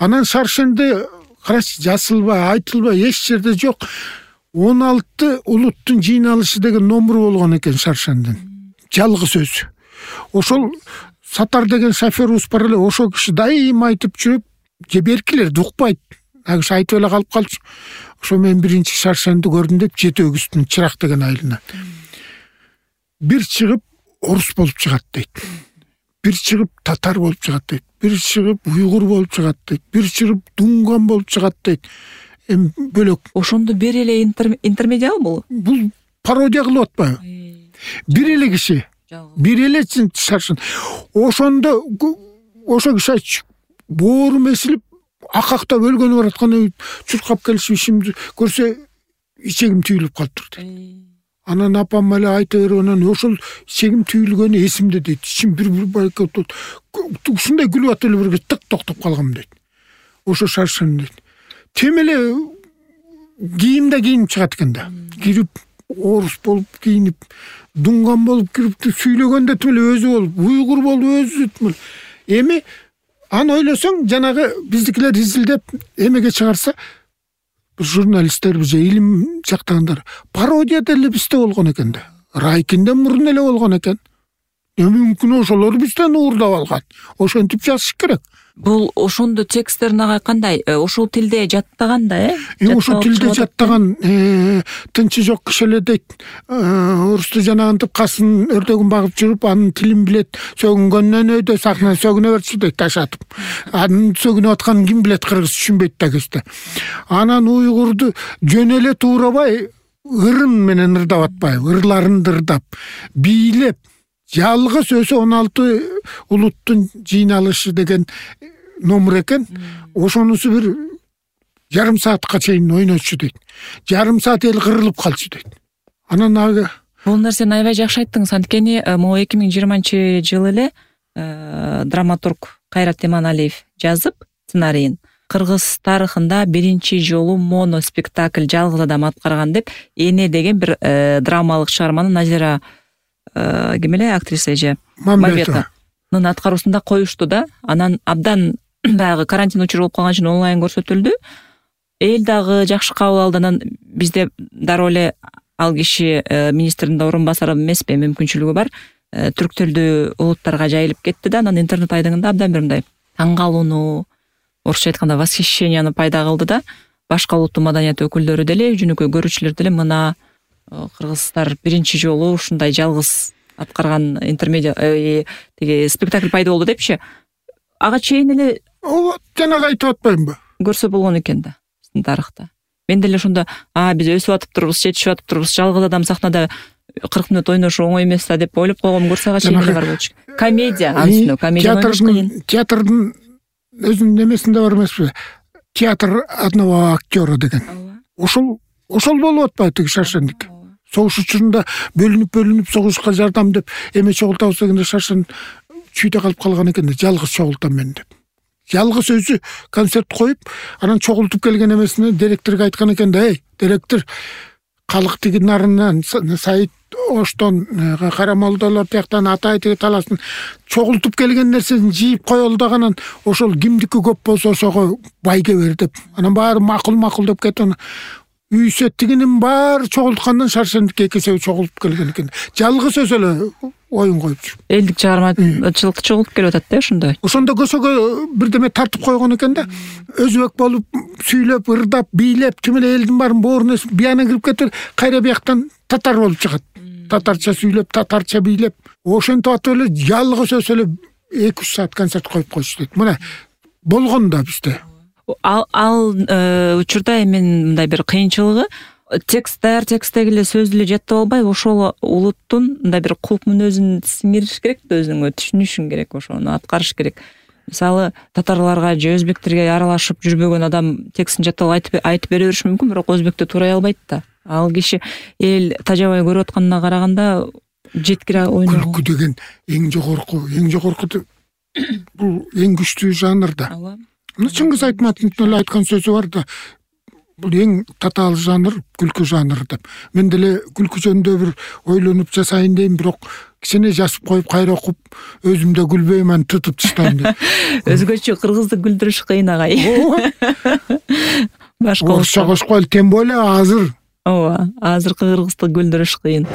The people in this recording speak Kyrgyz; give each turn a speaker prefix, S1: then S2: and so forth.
S1: Анан Шаршенде карачы жазылбай, айтылбай эч жерде жок. 16 улуттун жыйналышы деген номуру болгон экен Шаршендин. Жалгыз өзү. Ошол Сатар деген шофёрубуз бар эле, ошол киши дайыма айтып жүрүп, же беркилерди укпайт. Агыш айтып эле калып калчу. Ошо мен биринчи Шаршенди көрдүм деп Жети өгүздүн Чырак деген айылына. Бир чыгып орус болуп чыгат дейт. Бир чыгып татар болуп чыгат дейт. Бир чыгып уйгур болуп чыгат дейт. Бир чыгып дунган болуп чыгат дейт. Эми бөлөк.
S2: Ошондо бир эле интермедиал бул?
S1: Бул пародия кылып атпайбы? Бир эле киши. Бир эле Шаршен. Ошондо ошо киши боорум эсилип, акактап өлгөнү баратканда чуркап келишип ишимди көрсө ичегим түйүлүп калыптыр дейт. Анан апам эле айта берип, анан ошол ичегим түйүлгөнү эсимде дейт. Ичим бир ушундай күлүп атып эле бир тык токтоп калгам дейт. Ошо Шаршен дейт. Тем эле кийимде кийинип чыгат экен да. Кирип орус болуп кийинип, дунган болуп кирип, сүйлөгөндө тим эле өзү болуп, уйгур болуп өзү тим эле. Эми аны ойлосоң, жанагы биздикилер изилдеп эмеге чыгарса, журналисттер же илим жактагандар пародия деле бизде болгон экен да. Райкинден мурун эле болгон экен. Мүмкүн ошолор бизден уурдап алган. Ошентип жазыш керек.
S2: Бул ошондо тексттерин агай кандай? Ошол тилде жаттаган да,
S1: Ошол тилде жаттаган, тынчы жок киши эле дейт. Орусту жанагынтип касын өрдөгүн багып жүрүп, анын тилин билет. Сөгүнгөндөн өйдө сахна сөгүнө берчи дейт ташатып. Анын сөгүнүп атканын ким билет, кыргыз түшүнбөйт да кезде. Анан уйгурду жөн эле туурабай, ырын менен ырдап атпайбы, ырларын ырдап, бийлеп, жалгыз өзү 16 улуттун жыйналышы деген номер экен. Ошонусу бир жарым саатка чейин ойночу дейт. Жарым саат эл кырылып калчу дейт. Анан
S2: бул нерсени аябай жакшы айттыңыз. Анткени могу 2020-жылы эле драматург Кайрат Эманалиев жазып сценарийин кыргыз тарыхында биринчи жолу моноспектакль жалгыз адам аткарган деп Эне деген бир драмалык чыгарманы Назира ким эле актриса же Мамбетованын аткаруусунда коюшту да. Анан абдан баягы карантин учуру болуп калган үчүн онлайн көрсөтүлдү. Эл дагы жакшы кабыл алды. Анан бизде дароо эле ал киши министрдин орун басары эмеспи, мүмкүнчүлүгү бар. Түрк тилдүү улуттарга жайылып кетти да. Анан интернет айдыңында абдан бир мындай таң калууну, орусча айтканда восхищенияны пайда кылды да. Башка улуттун маданият өкүлдөрү деле, жөнөкөй көрүүчүлөр деле мына кыргыздар биринчи жолу ушундай жалгыз аткарган интермедиа тиги спектакль пайда болду депчи. Ага чейин эле жанагы айтып атпаймынбы? Көрсө болгон экен да биздин тарыхта. Мен деле ошондо биз өсүп атып турбуз, жетишип атып турбуз, жалгыз адам сахнада 40 мүнөт ойношу оңой эмес да деп ойлоп койгом. Көрсө ага чейин эле бар болчу. Комедия, анысына комедия ойнош.
S1: Театрдын өзүнүн эмесинде бар эмеспи? Театр одного актера деген. Ошол болуп атпайбы тиги Шаршендик? Согуш учурунда бөлүнүп согушка жардам деп эме чогултабыз дегенде Шаршен чүйдө калып калган экен да, жалгыз чогултам мен деп. Жалгыз өзү концерт коюп, анан чогултуп келген эмесине директорго айткан экен да, директор, калк тиги нарынан Саид Оштон, Карамолдолор тияктан Атай тиги таласын чогултуп келген нерсесин жийип коелу дагы, ошол кимдики көп болсо ошого байге бер деп. Анан баары макул деп кетти. Үй сеттигинин баары чогулткандан Шаршендик экесеби чогулуп келген экен. Жалгыз өзү эле оюн коюп жүрүп.
S2: Элдик чыгармачылыкты чогултуп келип атат да ошондой.
S1: Ошондо көсөгө бирдеме тартып койгон экен да. Өзбек болуп сүйлөп, ырдап, бийлеп, тим эле элдин баарын боорун эсип, бияна кирип кетип, кайра бияктан татар болуп чыгат. Татарча сүйлөп, татарча бийлеп, ошентип атып эле жалгыз өзү эле 2-3 саат концерт коюп койчу дейт. Мына болгон да бизде.
S2: Ал учурда эми мындай бир кыйынчылыгы текстеги эле сөздү эле жаттап албай, ошол улуттун мындай бир кулк мүнөзүн сиңириш керек да, өзүңө түшүнүшүң керек, ошону аткарыш керек. Мисалы, татарларга же өзбектерге аралашып жүрбөгөн адам текстин жаттап айтып бере бериши мүмкүн, бирок өзбектө туурай албайт да. Ал киши эл тажабай көрүп атканына караганда жеткире ойнойт. Күлкү деген эң жогорку бул эң күчтүү жанр да. Чыңгыз Айтматовдун эле айткан сөзү бар да. Бул эң татаал жанр күлкү жанры деп. Мен деле күлкү жөнүндө бир ойлонуп жасайын дейм, бирок
S1: кичине жазып коюп кайра окуп өзүм да күлбөйм, аны тытып таштайм деп.
S2: Өзгөчө кыргызды күлдүрүш кыйын агай. Башка
S1: орусча кошкойлу, тем более азыр.
S2: Ооба, азыркы кыргызды күлдүрүш кыйын.